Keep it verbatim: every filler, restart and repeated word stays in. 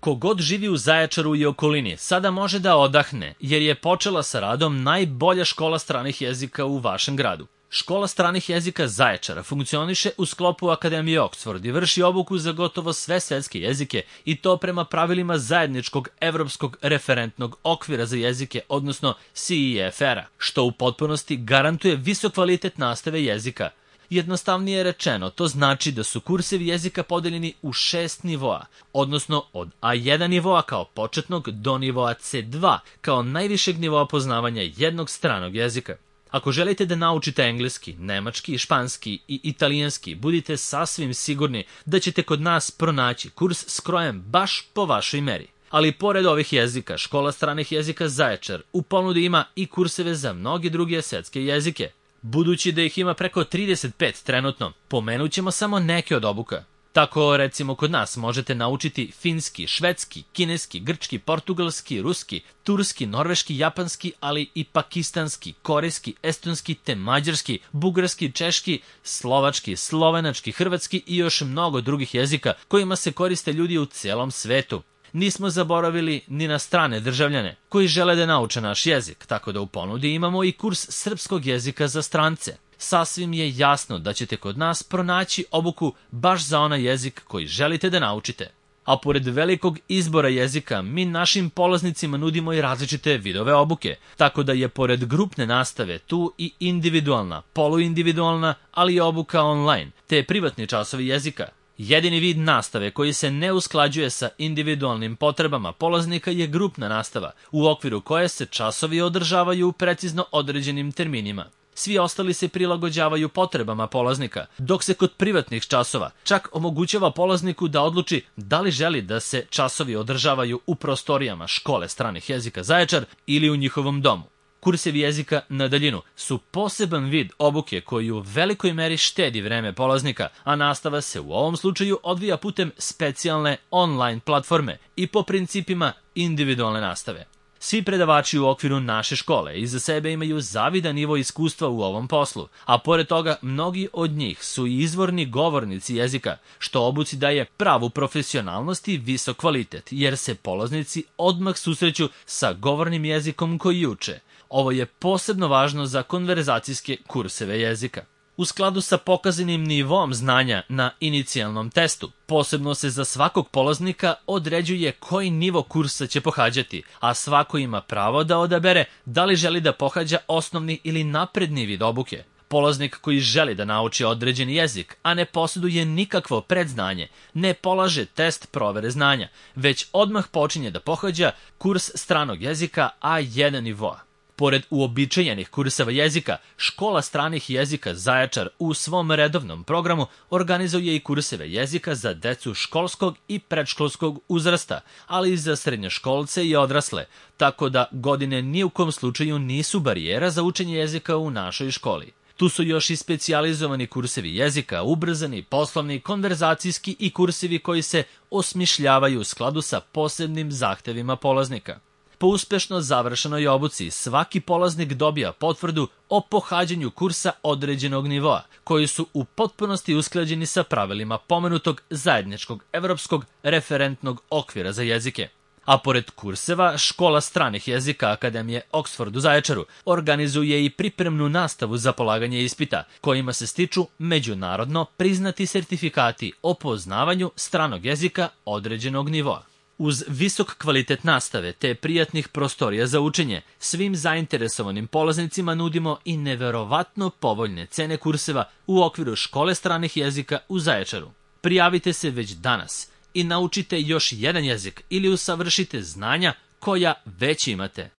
Kogod živi u Zaječaru i okolini sada može da odahne, jer je počela sa radom najbolja škola stranih jezika u vašem gradu. Škola stranih jezika Zaječara funkcioniše u sklopu Akademije Oxford i vrši obuku za gotovo sve svetske jezike i to prema pravilima zajedničkog evropskog referentnog okvira za jezike, odnosno C E F R-a, što u potpunosti garantuje visok kvalitet nastave jezika. Jednostavnije rečeno, to znači da su kursevi jezika podeljeni u šest nivoa, odnosno od A jedan nivoa kao početnog do nivoa C dva kao najvišeg nivoa poznavanja jednog stranog jezika. Ako želite da naučite engleski, nemački, španski i italijanski, budite sasvim sigurni da ćete kod nas pronaći kurs skrojen baš po vašoj meri. Ali pored ovih jezika, Škola stranih jezika Zaječar u ponudi ima i kurseve za mnoge druge svetske jezike. Budući da ih ima preko trideset pet trenutno, pomenut ćemo samo neke od obuka. Tako, recimo, kod nas možete naučiti finski, švedski, kineski, grčki, portugalski, ruski, turski, norveški, japanski, ali i pakistanski, korejski, estonski te mađarski, bugarski, češki, slovački, slovenački, hrvatski i još mnogo drugih jezika kojima se koriste ljudi u celom svetu. Nismo zaboravili ni na strane državljane koji žele da nauče naš jezik, tako da u ponudi imamo i kurs srpskog jezika za strance. Sasvim je jasno da ćete kod nas pronaći obuku baš za onaj jezik koji želite da naučite. A pored velikog izbora jezika, mi našim polaznicima nudimo i različite vidove obuke, tako da je pored grupne nastave tu i individualna, poluindividualna, ali i obuka online, te privatni časovi jezika. Jedini vid nastave koji se ne usklađuje sa individualnim potrebama polaznika je grupna nastava, u okviru koje se časovi održavaju u precizno određenim terminima. Svi ostali se prilagođavaju potrebama polaznika, dok se kod privatnih časova čak omogućava polazniku da odluči da li želi da se časovi održavaju u prostorijama Škole stranih jezika Zaječar ili u njihovom domu. Kursevi jezika na daljinu su poseban vid obuke koji u velikoj meri štedi vreme polaznika, a nastava se u ovom slučaju odvija putem specijalne online platforme i po principima individualne nastave. Svi predavači u okviru naše škole iza sebe imaju zavidan nivo iskustva u ovom poslu, a pored toga mnogi od njih su i izvorni govornici jezika, što obuci daje pravu profesionalnost i visok kvalitet, jer se polaznici odmah susreću sa govornim jezikom koji uče. Ovo je posebno važno za konverzacijske kurseve jezika. U skladu sa pokazanim nivom znanja na inicijalnom testu, posebno se za svakog polaznika određuje koji nivo kursa će pohađati, a svako ima pravo da odabere da li želi da pohađa osnovni ili napredni vid obuke. Polaznik koji želi da nauči određeni jezik, a ne posjeduje nikakvo predznanje, ne polaže test provere znanja, već odmah počinje da pohađa kurs stranog jezika A jedan nivoa. Pored uobičajenih kurseva jezika, Škola stranih jezika Zaječar u svom redovnom programu organizuje i kurseve jezika za decu školskog i predškolskog uzrasta, ali i za srednjoškolce i odrasle, tako da godine ni u kom slučaju nisu barijera za učenje jezika u našoj školi. Tu su još i specijalizovani kursevi jezika, ubrzani, poslovni, konverzacijski i kursevi koji se osmišljavaju u skladu sa posebnim zahtevima polaznika. Po uspešno završenoj obuci, svaki polaznik dobija potvrdu o pohađanju kursa određenog nivoa, koji su u potpunosti usklađeni sa pravilima pomenutog zajedničkog evropskog referentnog okvira za jezike. A pored kurseva, Škola stranih jezika Akademije Oxford u Zaječaru organizuje i pripremnu nastavu za polaganje ispita, kojima se stiču međunarodno priznati sertifikati o poznavanju stranog jezika određenog nivoa. Uz visok kvalitet nastave te prijatnih prostorija za učenje, svim zainteresovanim polaznicima nudimo i neverovatno povoljne cene kurseva u okviru Škole stranih jezika u Zaječaru. Prijavite se već danas i naučite još jedan jezik ili usavršite znanja koja već imate.